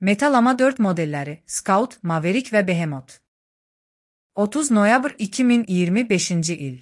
Meta Llama 4 modelleri Scout, Maverick ve Behemoth. 30 noyabr 2025 il.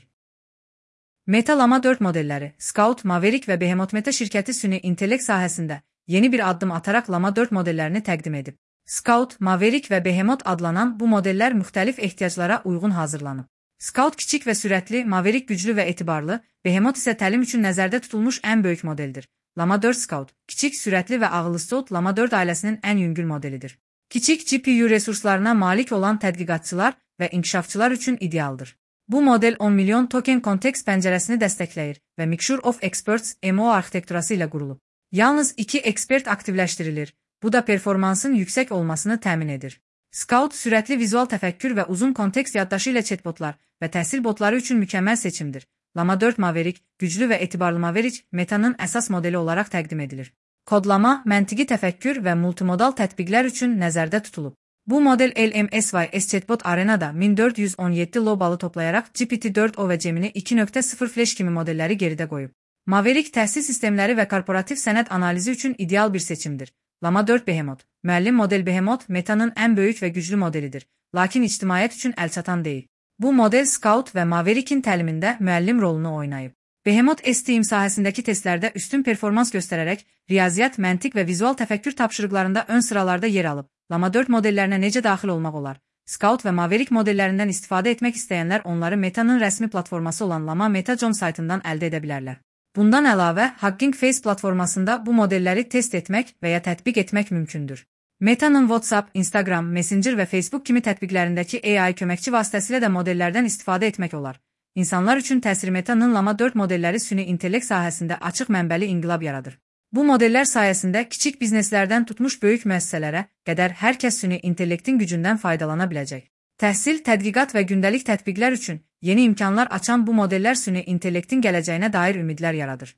Meta Llama 4 modelleri Scout, Maverick ve Behemoth Meta şirketi süni intellekt sahəsində yeni bir addım atarak Llama 4 modellerini təqdim edib. Scout, Maverick ve Behemoth adlanan bu modeller müxtəlif ehtiyaclara uyğun hazırlanıb. Scout kiçik ve sürətli, Maverick güclü ve etibarlı, Behemoth ise təlim üçün nəzərdə tutulmuş en büyük modeldir. Llama 4 Scout, kiçik, sürətli ve ağıllı Scout Llama 4 ailesinin en yüngül modelidir. Kiçik GPU resurslarına malik olan tədqiqatçılar ve inkişafçılar üçün idealdır. Bu model 10 milyon token kontekst pəncərəsini dəstəkləyir və Mixture of Experts MO arxitekturası ilə qurulub. Yalnız 2 ekspert aktivləşdirilir, bu da performansın yüksək olmasını təmin edir. Scout, sürətli vizual təfəkkür və uzun kontekst yaddaşı ilə chatbotlar və təhsil botları üçün mükəmməl seçimdir. Llama 4 Maverick, güclü ve etibarlı Maverick, Meta'nın əsas modeli olarak təqdim edilir. Kodlama, məntiqi təfəkkür və multimodal tətbiqlər üçün nəzərdə tutulub. Bu model LMSYS Chatbot Arena'da 1417 lobalı toplayarak GPT-4o ve Gemini 2.0 Flash kimi modelleri geride qoyub. Maverick təhsil sistemləri və korporativ sənəd analizi üçün ideal bir seçimdir. Llama 4 Behemoth, müəllim model Behemoth, Meta'nın en böyük ve güclü modelidir, lakin ictimaiyyət üçün əlçatan deyil. Bu model Scout ve Maverick'in təlimində müəllim rolunu oynayıb. Behemoth STEAM sahəsindəki testlərdə üstün performans göstərərək riyaziyyat, məntiq və vizual təfəkkür tapşırıqlarında ön sıralarda yer alıb. Llama 4 modellərinə necə daxil olmaq olar? Scout və Maverick modellərindən istifadə etmək istəyənlər onları Meta'nın rəsmi platforması olan Llama Meta.com saytından əldə edə bilərlər. Bundan əlavə, Hugging Face platformasında bu modelləri test etmək və ya tətbiq etmək mümkündür. Meta'nın WhatsApp, Instagram, Messenger və Facebook kimi tətbiqlərindəki AI köməkçi vasitəsilə də modellərdən istifadə etmək olar. İnsanlar üçün təsir Meta'nın Llama 4 modelləri süni intellekt sahəsində açıq mənbəli inqilab yaradır. Bu modeller sayesinde kiçik bizneslərdən tutmuş böyük müəssisələrə qədər hər kəs süni intellektin gücündən faydalana biləcək. Təhsil, tədqiqat və gündəlik tətbiqlər üçün yeni imkanlar açan bu modeller süni intellektin gələcəyinə dair ümidlər yaradır.